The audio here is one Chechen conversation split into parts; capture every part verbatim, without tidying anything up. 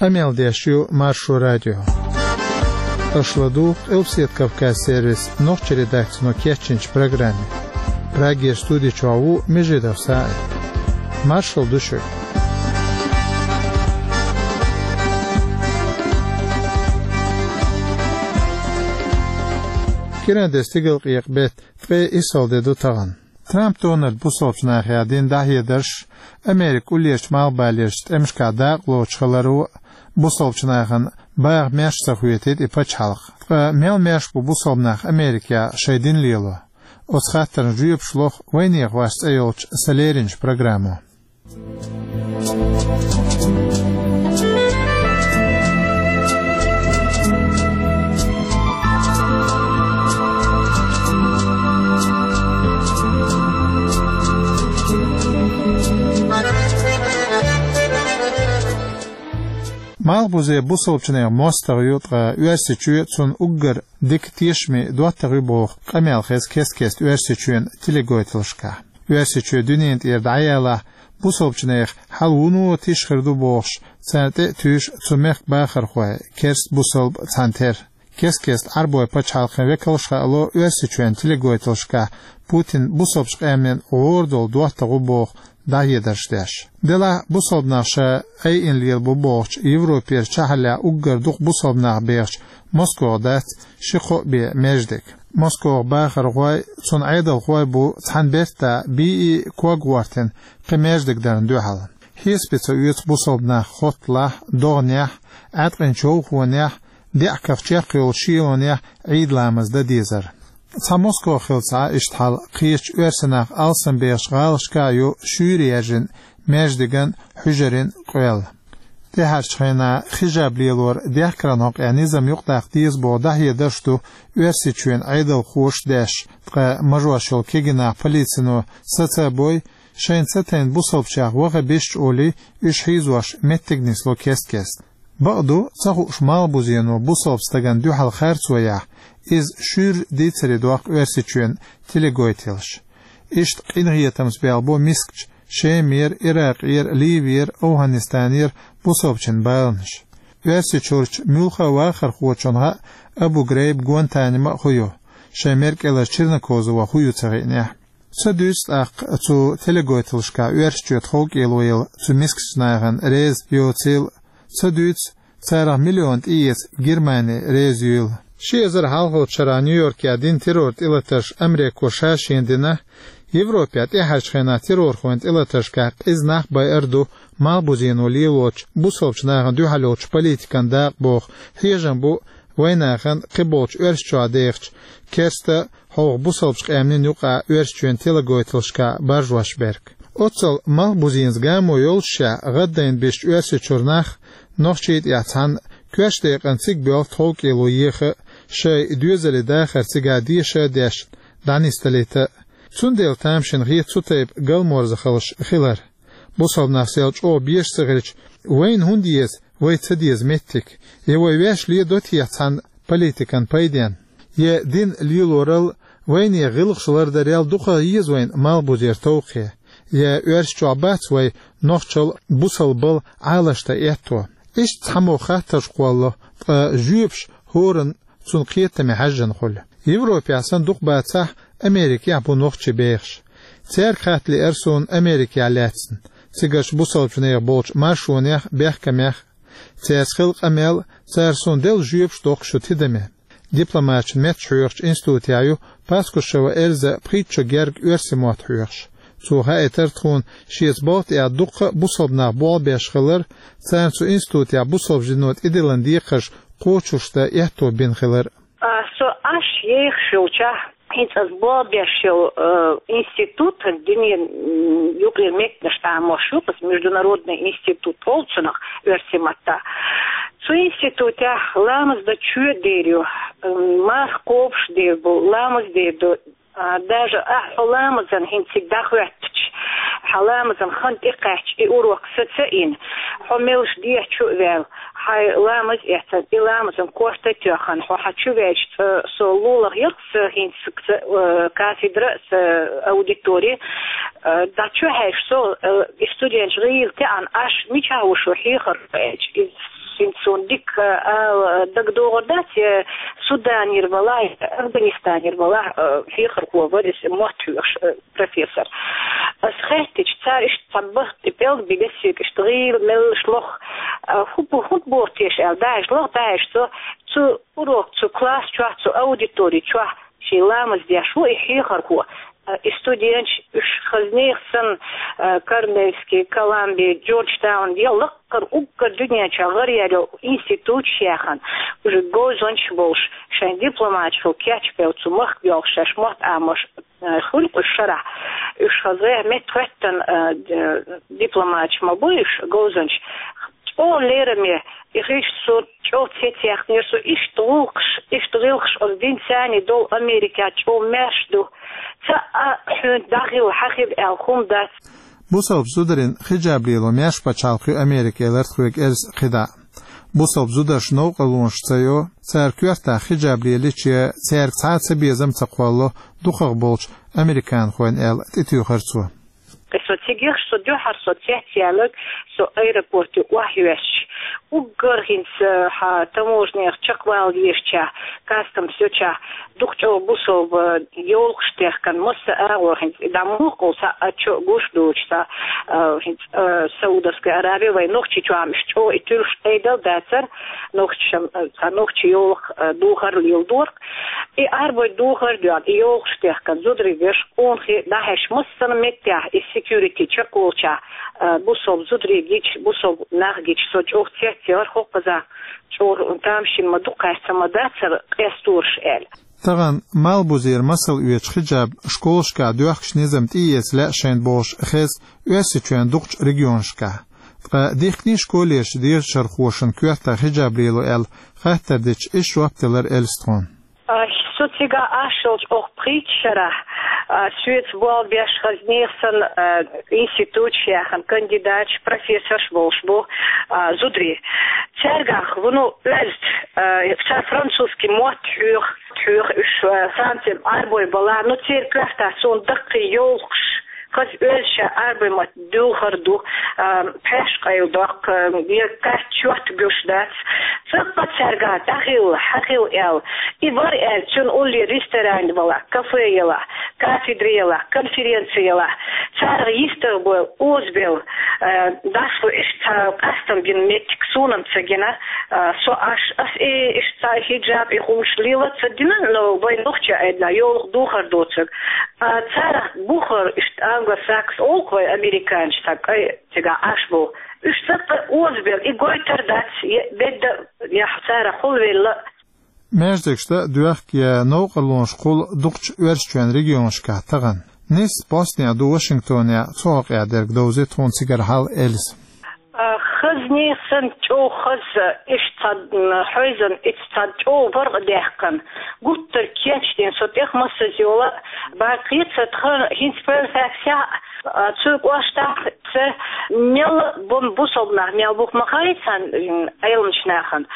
Къамел деш ю Маршо радио. Аша ладугӀу Къилбседа Кавказ сервисан нохчийн редакцино кечйинчу программе. Прагера студи чохь ву Межидов СаӀид. Маршалла ду шуьга. Кхин а де стигалкъекъа беттан ткъе исс де ду тахана. Трамп Дональда бусалбачу нахехь дина дӀахьедарш Америкин уллерчу малхбалерчу тӀемашкахь дакъалоцуш хиларо а, бусалбачу нахана баха маьрша ца хетийта и пачхьалкх. Ткъа мел маьрша бу бусалба нах Америкехь шайн дин лело? Оцу хаттарна жоьпаш лоху вайнехан вас цӀе йолчу сан леринчу программо. Малхбузе бусалбачу нехан мостагӀа ю, ткъа Оьрсийчоь цунна уггар дика тешаме доттагӀа ю боху къамел хеза кест-кеста Оьрсийчоьнан телеканошкахь. Оьрсийчоь дуьненна тӀера дӀаялахь, бусалбачу нехан хьал вуно тиша хир ду бохуш, царна тӀе а туьйсу цу мехкан бахархой, керста, бусалба цхьаьнатера. Кест-кеста Ӏарбойн пачхьалкхийн векалша хаало Оьрсийчоьнан телеканошкахь Путин бусалбачу къаьмнийн гӀора долу доттагӀа ву боху дӀахьедарш деш. Делахь бусалба нах ша айина лелабо бохучу Европера чохь а уггар дукха бусалба нах бехачу Москох дац ши-кхоъ бен маьждиг. Москох бахархой, цуьнан Ӏедалхой бу цхьана бертахь бийи ког гӀортина кхин маьждиг дарна дуьхьал. Хьесапе ца оьцу бусалба нах хотталахь, догӀанехь, Ӏаьткъина човхонехь, деа каха чекх йолчу шелонехь Ӏийд ламаз дан дезар. Цхьа Москох хилла ца Ӏа иштта хьал, кхечу оьрсийн нах алсамбехачу гӀалашкахь а ю шуьйра яьржина маьждиган, хьуьжарин къоьлла. ТӀаьхьарчу хенахь хижаб лелоран дехкаран хьокъехь низам юкъадаккха деза боху дӀахьедарш ду Оьрсийчоьнан Ӏедалхоша деш, ткъа мажош йолу кегий нах полицино саца а бой, шайна ца тайна бусалбачех ваха безачу олий, уьш хьийзош меттиг нисло кест-кеста. Бакъду, ца хууш малхбузено бусалба стагана дуьхьал харцо яхь, иза шуьйра дийцаре доккху Оьрсийчоьнан телеканошкахь. Иштта къинхетамца белхабо мискачу Шемера, Иракъера, Ливера, АфгӀанистанера бусалбачийн баланаш. Оьрсийчуьрчу муьлхха а вахархочунна хаьа Абу-Грейб, Гуантанамо а хӀун ю, шайн мера кӀелара Чернокозово хӀун ю ца хиънехь. Ца дуьйцу тӀаккха цу телеканошкахь Оьрсийчоь тховкӀело елла цу мискачу нахана реза йоцийла, ца дуьйцу, царах миллион тӀеэца Германи реза юйла. Ши эзар хьалхалчу шарахь Нью-Йоркехь дина террор тӀелатарш Америко ша-шена дина, Европехь тӀаьхьарчу хенахь террорхойн тӀелатаршкахь къиза нах байар ду малхбузено лелочу бусалбачу нахана дуьхьал йолчу политикан дакъа боху хьежам бу вайнахана кхиболчу Оьрсийчохь дехачу керста, хьовха бусалбачу къаьмнийн юкъахь Оьрсийчоьнан телеканошкахь баржош берг. Оццул малхбузенца гамо йолушшехь гӀаддайна бисчу Оьрсийчуьра нах, нохчий тӀехь цхьаьна, коьртачу декъана цига боьлху тховкӀело еха а, шайн доьзалийн дахар цигахь деша а деш, дӀанисдалийта а. Цундела тамашийна хета цу тайпа галморзахаллаш хилар. Бусалба нах сел чӀогӀа безаш ца хилча, вайна хӀунда еза вай ца деза меттиг? Я вай ваьш ледо техьа цхьана политикан пайденна? Я дин лелорал, вайнехан гӀиллакхаш лардарал дукха еза вайна малхбузера товкхе? Я Оьрсийчохь бац вай нохчалла, бусалбалла Ӏалашдан аьтто? Иштта цхьаммо хаттарш кхоллало, ткъа жоьпаш хӀоранна цунна кхетаме хьаьжжина хуьлу. Европехь санна дукха бацахь, Америкехь бу нохчий бехаш. Цаьрга хатта лиара суна Америкехь лаьцна, цигарчу бусалбачу нехан болчу маршонех а, бехкамех а. Цаьрца хилла къамел, цара суна делла жоьпаш доккхуш ю тидаме. Дипломаташна меттахоьхучу институтехь ю Паскушева Эльза пхийтта шо герга оьрсийн мотт хьоьхуш. Цо хаийтира тхуна шеца балха тӀехь дуккха а бусалба нах болх беш хилар, царна цу институтехь бусалба дино тӀедиллина декхарш кхочушдан аьтто бина хилар. А, со Ӏаш ехаш йолчохь, хӀинца аса болх беш йолу, э, институт, дуьненан, м, юкъера меттанаш тамош ю, аса международный институт олу цунах оьрсийн маттахь. Цу институтехь ламаз дан чоь а дер ю, м, марха кхобуш дер бу, ламаз дер ду, а, даже ахь хьо ламазан хӀинца цига дӀахӀоьттича, хьан ламазан хан тӀекхаьчча, и урок саца а йина, хьо меллаша дехьа чу а ваьлла, хьайн ламаз а эцна, и ламазан корта а тоьхна, хьо хьан чу ваьлча, цкъа со лулахь яра сан хӀинца сан, э, кафедра, сан аудитори, э, дӀа чу хьаьжча со, э, и студенташ гӀийла таьӀна, Ӏаш мичахь ву шу хьехар аьлча, иза Цуьнца суна дика, а, дагадогӀур дац, я Суданера валахь, я Афганистанера валахь, а, хьехархо вара иза, мотт хьоьхуш, а, профессор. Ас хаьттича, цара иштта цхьа бахта тӀе пӀелг бигас цига иштта гӀийла меллаш лох, а, хӀу бу-, хӀунда боху теша аьлла, дӀахьаьжча лох, дӀахьаьжча цо, цу урок, цу класс чохь, цу аудитори чохь шен ламаз деш ву и хьехархо. А, и студенташ, уьш хаза нехан санна, а, Корнельский, Колумбия, Джорджтаун, я лаккхара уггар дуьнен чохь гӀараяьлла институташ яьхна, уьш говзанчаш болуш, шайн дипломаташ хилла кечбевлла цу махка боьлхуш шаьш мотт Ӏамош, а, хуьлу-кх уьш шарахь. Уьш хаза меттахӀоьттина, а, д-, дипломаташ ма бу уьш, говзанчаш. ЧӀогӀа лераме, и хиш со чӀогӀа цецъяьккхинера, со иштта гӀуллакхаш, иштта гӀиллакхаш оцу динца цхьаьна долу Америкехь чӀогӀа маьрша ду. Цхьа а хьуьнца дӀахилла, хьан хила аьлла хӀума дац. Бусалба зударийн хиджаб лело маьрша пачхьалкх ю Америка, элира тхоьга Эльзас кхидӀа. Бусалба зударша новкъарлонаш ца йо, цара коьртахь хиджаб лелийча, цаьрга цхьа а цабезам а ца кхолло дукхах болчу американхойн, аьлла, тӀетоьхира цо. И со цига ехаш, со дуьххьара со цецъяьлларг, со аэропорте охьайоьссича, уггар хӀинца, хьан таможнех чекхвала везачохь, кастомс йолчохь, дукха чӀогӀа бусалба йовлакхаш техкина, масса агӀор хӀинца, и дӀа муха кхул, цхьа а чо а гуш доцуш, цхьа, а, хӀинца, а, Саудовская Аравия вайн Нохчийчохь-м уьш чӀогӀа и туьллуш Ӏедал дацара, нохчашна, а, цхьа нохчийн йовлакх, а, духар леладора-кх. И Ӏарбойн духар а доьгӀна, и йовлакхаш техкина, зударий, веший, къонахий дӀахьаьжча, массанхьа меттехь и security чекхволчохь, а, бусалба зударий гича, бусалба нах гича, со чӀогӀа цецъяьллера, хӀокхузахь чӀогӀа тамашийна ма ду, кхаьчна ма дацара къестораш аьлла. Тахана малхбузера масал оьцуш хиджаб школашкахь доьхкучу низам тӀеэца лаьа шайна бохуш хеза Оьрсийчоьнан дукхачу регионашкахь. Ткъа дихкинийша колледжийн дешархошна коьртахь хиджаб лело аьлла хаттар дича, иштта жоп делира Эльзас тхуна. А, со цигахь Ӏаш йолчу оха пхийтта шарахь, а, соьца болх беш, хаза нехан санна, а, институташ яьхна, кандидаташ, профессорш болуш бу, а, зударий. Цаьргахь вуно оьзда, а, цара французский мотт хьоьху, хьоьху уьш, а, Франци, Ӏарбой балахь, ну, церан коьртахь суна даккхий йовлакхаш, хаза оьзда ша Ӏарбой мотт дуьлхур ду, а, пхьаьш къайладоккху, а, я кхаьчча чот гуш дац. Цкъа цаьргахь дӀахилла, хьан хила аьлла. И вара аьлла, цуьнан уллера ресторан ялахь, кафе ялахь, кафедра ялахь, конференци ялахь. Царах йистагӀбевлла, озабевлла, а, дӀасалу иштта цхьа къастам бина меттиг суна-м ца гина, а, со Ӏаш, ас и иштта цхьа хиджаб, и хӀумаш лела ца дина, но вайн нохчийн Ӏедалехь йовлакх духар доцург. А, царах бухара иштта англосакс олу-кх вай, американцаш, цхьа кӀай цигахь Ӏаш болу. Уьш цкъа озабевлла, и гойтур дац, е бедда, я царах хулавелла. Маьждигаш дан а доьхку, я новкъарлонаш кхуллу дукхачу Оьрсийчоьнан регионашкахь тахана. Нийсса постехь ду Вашингтонехь, цу хьокъехь дерг довзуьйту тхуна цигара хьал Эльзас. А, хаза нехан санна, чӀогӀа хаза, иштта цхьа, м, хьойзан, иштта цхьа чӀогӀа варгӀа даьккхина, гуттар а кечдина, со тӀех массаза йола, баккхийца тхан хӀинца Фэрфаксехь, а, цу кӀоштахь ца, мел бу-, бусалба нах мел бу-кх ма хаьа цхьана, м, Ӏеламчу нахана.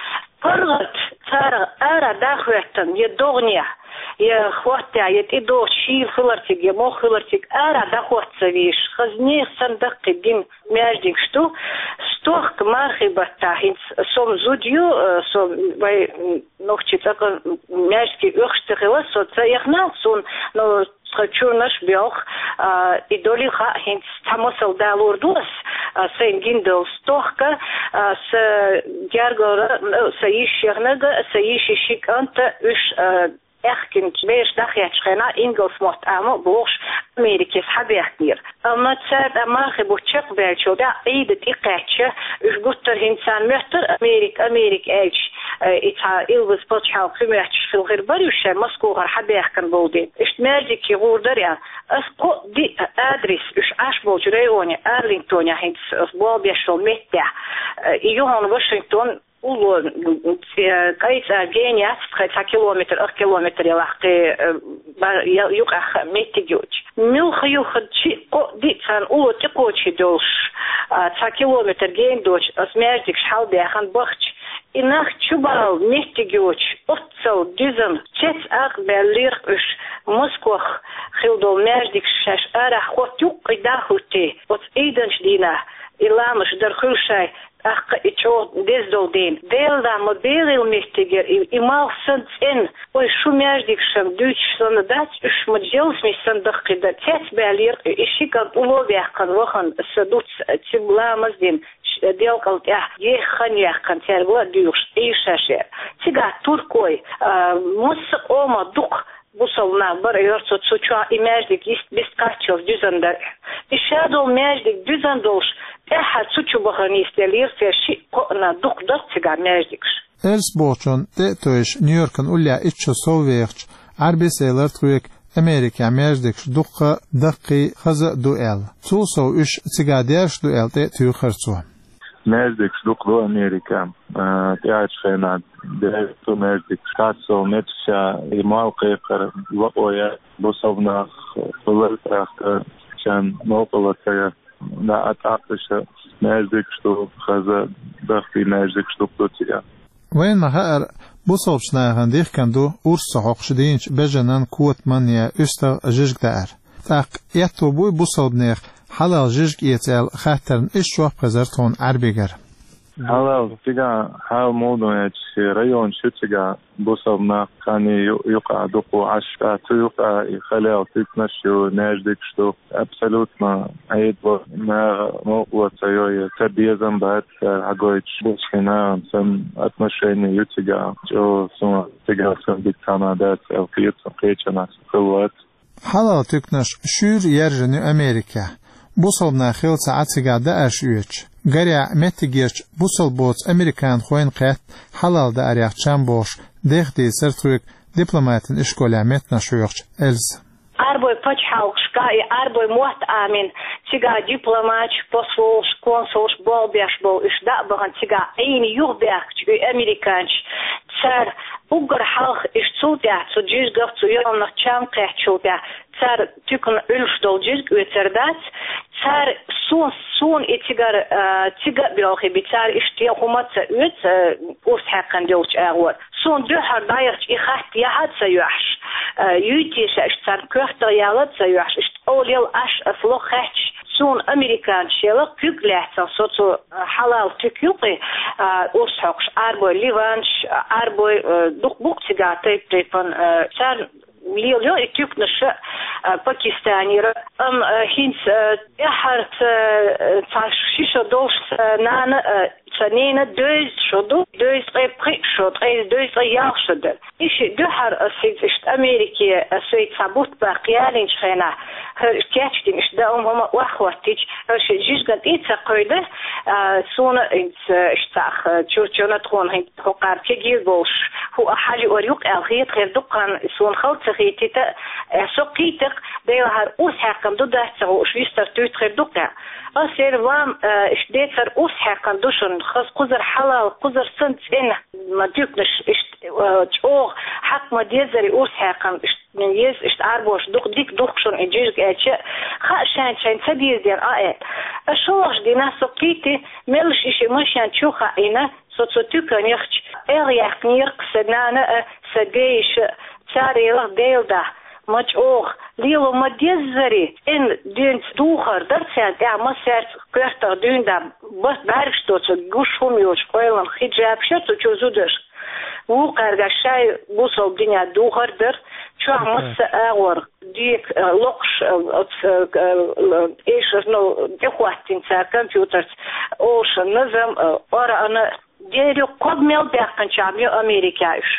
ПаргӀат царах ара дӀахӀоьттина, я догӀанехь, я хӀоттехь, я тӀедогӀучу шийла хиларциг, я мох хиларциг, ара дӀахӀотта ца везаш, хаза нехан санна даккхий дина маьждигаш ду. Стохка мархий баттахь, хӀинца со-м зуда ю, э, со вай, м, нохчийн цӀакъа маьждиге оьхуш ца хилла, со ца эхна, суна, ну, тхан чурнаш боьлху, а, и долий хаьа, хӀинца цхьа масал далор ду ас, а, сайна гина долу стохка, а, сан гергара, ну, сан йишин шегнага, сан йишин ши кӀанта, уьш, а, аьхкинчу бераш дӀахецначу хенахь ингалс мотт Ӏамо а бохуш, Америкехь схьабаьхкинера. Амма цара тӀе мархий бутт чекхбаьллачул тӀаьхьа Ӏийда тӀекхаьчча, уьш гуттар а хӀинца царна моьттура Америка, Америка аьлча, э, и цхьа илбаз пачхьалкх хи моьттуш хила хир бара уьш шайн Москохара схьабаьхкина болу дела. Иштта маьждигчий гӀур дара аьлла. Ас кхо-диъ адрес уьш Ӏаш болчу районе, Арлингтонехь хӀинца ас болх беш йолу меттехь, э, и ю хьуна Вашингтон, улло, э, кӀай цӀа гена яц, тхай цхьа километр, ах километр ялахь кхин, э, ба-, я-, юкъахь меттиг йоцуш. Муьлха юхханчи кхо-диъ царна улло тӀекхочий долуш, а, цхьа километр гена доцуш, ас маьждигаш хьалдаьхна бахча. И нах чубала меттиг йоцуш, оццал дизан, цец акъбаьллера уьш, Москох хила долу маьждигаш шаьш арахь хотта юккъе дӀахӀуьттий, оцу Ӏийданчу дийнахь и ламазаш дар хуьлу шайн, тӀаккха и О, деза долу дийна. Делан ма берриг меттигера и, и малх санна цӀена. Ой, шу маьждигаш дуьйцуш санна дац, уьш ма желсмиш санна дахкийда. Цец баьллера, и ши кӀант улло а ваьккхина вахана, сан дуц цуьнга ламаз а дина, ш-, делкъал тӀехь еха хан яьккхина, цаьрга ла а дуьйхуш, Ӏийша шера. Цигахь туркой, а, массо а къомах дукха бусалба нах бара, йора цо, цу чохь и маьждиг йист-, бист кхаччалц дуьзна дара. И ша долу маьждиг дуьзна долуш, тӀаьххьара цу чу бахана йистеллера, церан шиъ-кхоъ а дукха дара цигахь маьждигаш. Эльс бохучунна тӀе а тевжаш, Нью-Йоркана уллехь итт шо сов вехачу, Ӏарбис элира тхоьга, Америкехь маьждигаш дуккха а, даккхий а, хаза а ду аьлла. Цул сов уьш цигахь даьржаш ду аьлла тӀе а туьйхира цо. Маьждигаш дукха ду Америкехь, а, тӀаьхьарчу хенахь даьржаш ду маьждигаш. Цхьацца меттигашкахь и молла кхайкхар лакъо яц, бусалба нах хуьлура тӀаккха, шен мукъалла ца яр. Даа тӀаккха уьш маьждигаш ду, хаза, даккхий маьждигаш дукха ду цигахь. Вайна ма-хаъара, бусалбачу нахана дихкина ду урс ца хьокхуш дийначу бежанан, котаман я уьстагӀ жижиг даар. ТӀаккха аьтто буй бусалбанех хьалал жижиг эца аьлла хаттарна, иштта жоп хезира тхуна Ӏарбигара. Хьалал, цигахь хьал муха ду аьлча, районаш ю цигахь, бусалба нах кхане ю-, юкъахь дукха Ӏаш, ткъа цу юкъахь и халал туьканаш ю, маьждигаш ду. Абсолютно Ӏедало наха мукъалла ца йо, я ца безам бац цара хьагойтуш. Бусалба нахана санна отношение ю цигахь, чӀогӀа суна цигахь санна дика цхьа а дац аьлла хета суна, кхечанхьа сан хилла вац. Хьалал туьканаш шуьйра яьржина ю Америкехь. Бусалба нах хилла ца Ӏа цигахь даарш оьцуш. Гарехь, меттигерчу бусалба боцу американхойн кхетта хьалал даарех чам бохуш, деха дийцира тхоьга дипломатан ишколехь меттанаш хьоьхучу Эльзас. Ӏарбойн пачхьалкхашкахь и Ӏарбойн мотт Ӏамийна, цигахь дипломаташ, послаш, консулаш болх беш болу, уьш дӀа а бахана цигахь Ӏийна юхабаьхкича и американцаш, цара уггар хьалха иштта цул тӀаьхьа цу жижигах, цу ялханах чам кхаьчначул тӀаьхьа, цара туькана Ӏуьллуш долу жижиг оьцур дац, цара суна, суна и цигара, а, цига а боьлхий би, цара иштта я хӀума ца оьцу, а, урс хьаькхна долчу агӀор. Суна дуьххьара дӀаяхча и хатта яхьа а ца йоьхьуш, а, юьйцуш иштта царна коьртах яла а ца йоьхьуш, иштта къовлаяла Ӏаш ас ло хаьтташ, суна американцаш яла куьг лаьцна, со цу, а, хьалал туька юкъе, а, урс хьокхуш, Ӏарбой ливанцаш, а, Ӏарбой, а, дукха бу-кх цигахь тайп-тайпана, а, царна лелайо и туьканаш, а, Пакистанера. Амма, а, хӀинца, а, тӀаьххьара, а, цхьа ши шо долуш сан нана, а, сан ненан дезткъа шо ду, дезткъе пхиъ шо, ткъе, дезткъе ялх шо дара. И шиъ дуьххьара ас хӀинца иштта Америке, а, сайца цхьа бутт баккха ялийначу хенахь, хӀара кечдина иштта даа хӀума охьахӀоттийча, хӀара шиъ жижиган тӀе а ца кхевдира, а, суна хӀинца иштта цхьаъ, а, чуьрчунна тхуна хӀинца хӀокхара кегийра болуш, хӀу а хьалаоьцур ю-кх аьлла хета хир ду-кх, сан хала ца хетийта, э, со кхийтира-кх, Делахьара урс хьаькхна ду дац ца хууш, вистар туьйхира ду-кх аьлла. Ас элира, вам, э, иштта децара урс хьаькхна ду шуна, хаза кхузара хьалал, кхузара санна цӀена, ма туьканаш иштта, э, чӀогӀа хьакха ма дезара и урс хьаькхна, иштта еза, иштта Ӏарбоша дукха дика ду-кх шуна и жижиг аьлча, хаа шайна шайна ца деза дера а аьлла. Ас шолгӀачу дийнахь со кхийти, меллаша и шиъ машен чу хаийна, со цу туькана яхча, эгӀ яьккхинера-кх сан нана а, сан дейиша а, цара элира Делан дуьхьа, ма чӀогӀа, лело ма деззара, эн дуьйна духар дара царна тӀехь, массаьрца коьртах дуьйна дӀа, бат бӀаьргаш доцург, гуш хӀума йоцуш, къойланах хиджабаш йо цу чу зудашка. Вукхаьрга шайн бусалба динехь духар дара, чохь масса агӀор, дека, э, локхуш, э, оцу, э, э, эшарно тӀехӀоттийна цара компьютерца, олуш назам, э, Къуръана, дерриг кхо мел баьккхинчохь ю Америкехь уьш.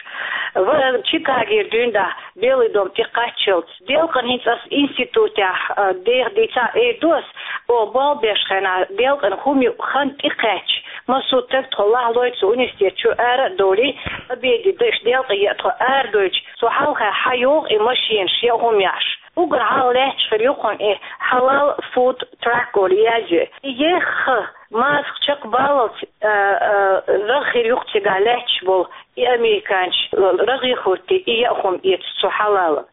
Ва-, Чикагера дуьйна дӀа, Белый дом тӀе кхаччалц. Делкъана хӀинца ас институтехь, а, деха дийцахь, эр ду ас, оха болх беш хенахь, делкъана хӀума ю хан тӀекхаьчча, массо а таг тхо лахлой цу университет чу ара а довлий, обеде дан иштта делкъе яа тхо арадойтуш, цу хьалха хьайогӀу и машенаш, яа хӀума яхьаш. Уггар хьалха лаьтташ хир ю хьуна и Halal Food Truck олу язйо. И еха, мазах чекхбаллалц, а, а, рагӀ хир ю-кх цигахь лаьтташ болу и американцаш, рагӀе хӀуттий, и яа хӀума эцу цу хьалала.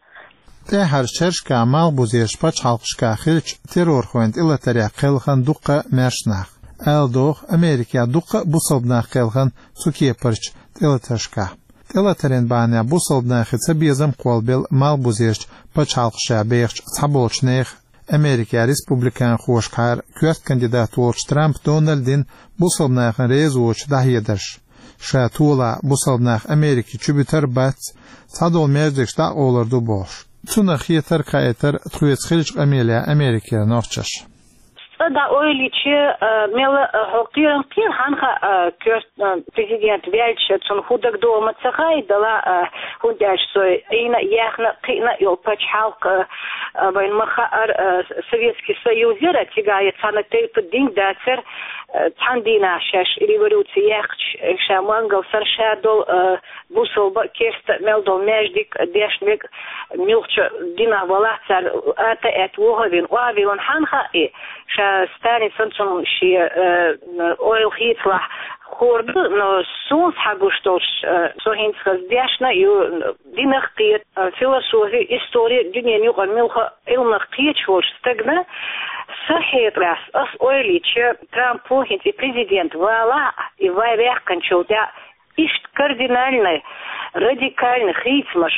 ТӀаьххьарчу шерашкахь малхбузерчу пачхьалкхашкахь хиллачу террорхойн тӀелатарехь кхелхина дуккха а маьрша нах. Ала догӀу, Америкехь дуккха а бусалба нах кхелхина цу кепарчу тӀелатаршкахь. ТӀелатаран бахьанехь бусалба нахе цабезам кхоллабелла малхбузерчу пачхьалкхашкахь бехачу цхьаболчу нехан. Американ республиканхошкара коьрта кандидат волчу Трамп Дональдин бусалба нахана реза воцуш дӀахьедарш. Ша толахь бусалба нах Америке чу буьтур бац, цхьадолу маьждигаш дӀа а къовлур ду бохуш. Цунах хетарг хаийтира тхоьца хиллачу къамелехь Америкера нохчаша. ЦӀа дӀа ойла йича, а, мела, а, хьо кхерам кхера, хьан хаьа, а, коьрта, а, президент ваьлча, цунна хӀун дагадогӀу ма ца хаьа, дала, а, хӀунда аьлча со Ӏийна а, яьхна а, кхиъна а йолу пачхьалкх, а, а, вайна ма хаьара, а, Советский Союз яра, цигахь я цхьана тайпа дин дацара, а, цхьана дийнахь шаьш революци яьккхича, ша мангал санна ша долу, а, бусалба а, керста а мел долу маьждиг а, дешна верг а, муьлххачу динах валахь цара ата а аьтта вохавина, охьавиллина, хьан хаьа и? Ша Сталин санна цунна шен, э, ойла хийцалахь хуур ду, но суна схьагуш долуш, э, со хӀинца хаза дешна а ю, динах кхета, э, философи, истори, дуьненан юкъара муьлхха а Ӏилманах кхеташ волчу стагана, сан хетарехь, ас ойла йича, Трампо хӀинца и президент валахь а, и вай ваьккхинчул тӀаьхьа, иштта кардинальный, радикальный хийцамаш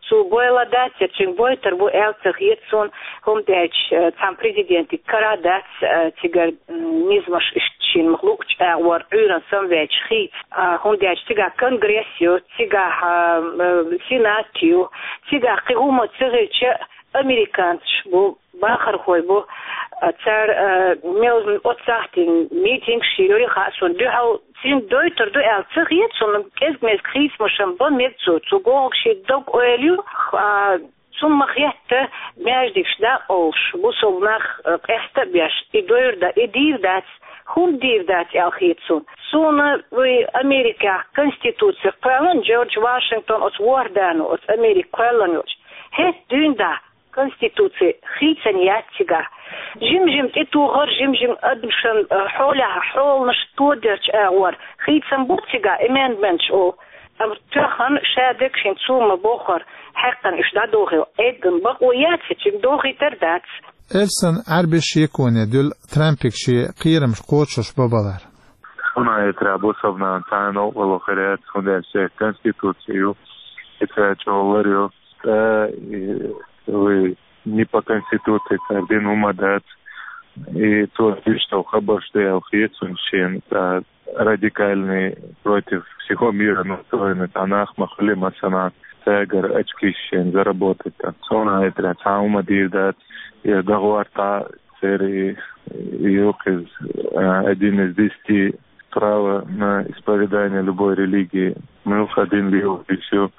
цо бойла дац, я цуьнга бойтур бу аьлла ца хета суна, хӀунда аьлча, э, цхьана президентиг кара дац, э, цигара, м, низамаш иштта шена луучу агӀор Ӏуьйранна самаваьлча хийца. А, хӀунда аьлча цигахь конгресс ю, цигахь, а, э, сенат ю, цигахь кхин хӀумма ца хилча, американцаш бу, бахархой бу, а, цара, а, мел оццахь дина митингаш йира хаьа суна, дуьхьал цуьнга дойтур ду аьлла ца хета суна, кӀезиг-мезиг хийцамашна бан мега цо, цу гӀуллакхах шен дог-ойла ю, а, цунна ма-хетта маьждигаш дӀа а къовлуш, бусалба нах, а, къаста а беш, и дойр да-, и дийр дац, хӀунда дийр дац аьлла хета суна. Суна вай Америкехь конституци кхоьллина, Джордж Вашингтон оцу ворхӀ дано, оцу Америка кхоьллина йолчу, хӀетта дуьйна дӀа конституци хийцина яц цигахь. Жим-жим тӀетухар, жим-жим адамашна, э, хьолехь хьоланаш тодерчу агӀор хийцам бу цигахь, amendments олу. Амма тоьхна ша дерг шен цо ма боххура, хьаькхна уьш дӀадохийла, Ӏеддан бакъо яц, цуьнга дохийтар дац. Эльсан Ӏаьрбис шеконе дуьллу Трампига шен кхерамаш кхочуш бабалар. Суна хетарехь бусалба нахана цхьана новкъарло хир яц, хӀунда аьлча конституци ю, и цара чӀогӀа лар ю. ТӀаккха, и, вай не по конституции цара дина хӀума дац. И цо иштта хабарш ду аьлла хета суна шена, цхьа радикальный, против всего мира настроенный цхьа нах ма хуьлий массанхьа, цаьргара очкиш шена заработать дан. Суна хетарехь цхьа хӀума дийр дац, и дагӀор тӀе церан и, и ю кхуза, а, один из десяти право на исповедание любой религии. Муьлхха дин лелош ю,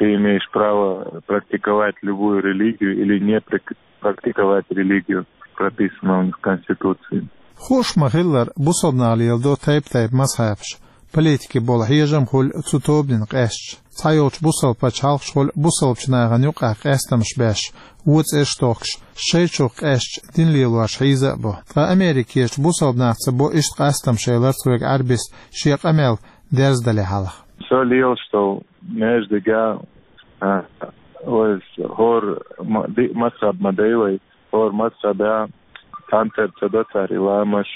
ты имеешь право практиковать любую религию или не прак-, практиковать религию, прописано у них в Конституции. Хууш ма-хиллара, бусалба наха леладо тайп-тайпа мазхьабаш, политике болу хьежам хуьлу цу тобанина къаьсташ. Цхьайолчу бусалба пачхьалкхаш хуьлу бусалбачу нахана юкъахь къастамаш беш, вон цӀераш тохкуш, шайчух къаьсташ дин лелош хьийза а бу. Ткъа Америкерчу бусалба нахаца бо иштта къастамаш, элира цуьнга Ӏаьрбис шен къамел дерзадале хьалха. Со лелаш долу маьждигехь, а, вай хӀора ма-, ди-, мазхьаб ма дай вай, хӀора мазхьабехь цхьаьнцара ца до цара и ламаш.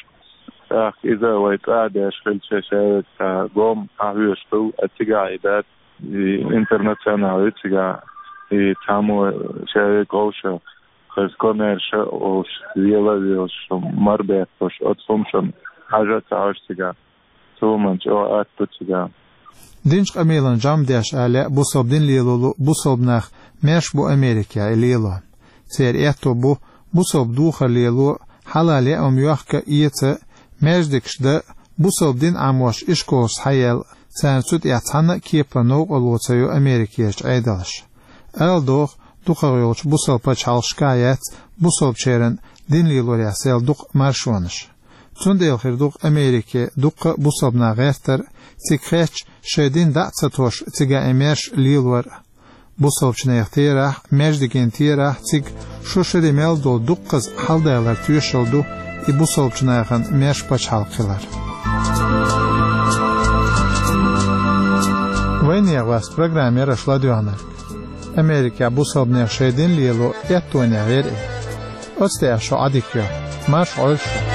ТӀаккха иза вай цӀа а деш хилча, ша веза цхьа гом хьахьоьжуш хилла, а цигахь и дац, и интернационал ю цигахь, и цхьаммо ша веза вовшах, хаза комаьрша а волуш, вела а велуш, марбетталуш, оцу хӀумашна хьажа а ца хьожу цигахь. Цо ма чӀогӀа атта ду цигахь. Динчу къамелан жамдеш а лаьа бусалба дин лело лу бусалба нах, маьрша бу Америкехь и лело. Церан аьтто бу, бусалба духар лело, хьалал яа хӀума йохка а, эца а, маьждигаш дан а, бусалба дин Ӏамош ишколаш схьаяьлла, царна цу тӀехь цхьанна а кепара новкъарло ца йо Америкерчу Ӏедалша. Ала догӀу, дукхах йолчу бусалба пачхьалкхашкахь яц бусалбачеран дин лелорехь сел дукха маршонаш. Цундела хир ду-кх Америке дуккха а бусалба нах гӀертар а, цига хетча, шайн дин дӀа а ца тосуш, цигахь и маьрша лелор а. Бусалбачу нехан терахь, маьждиган терахь цига шу шаре мел долу дуккхаза хьаладалар тоьшалла ду и бусалбачу нахана маьрша пачхьалкх хилар. Вайнехан васт программа яра аша ладоьгӀнарг. Америкехь бусалба нехан шайн дин лело эттонехь яра и. Оцу тӀехь шу Ӏадика йо. Марша Ӏойла шу.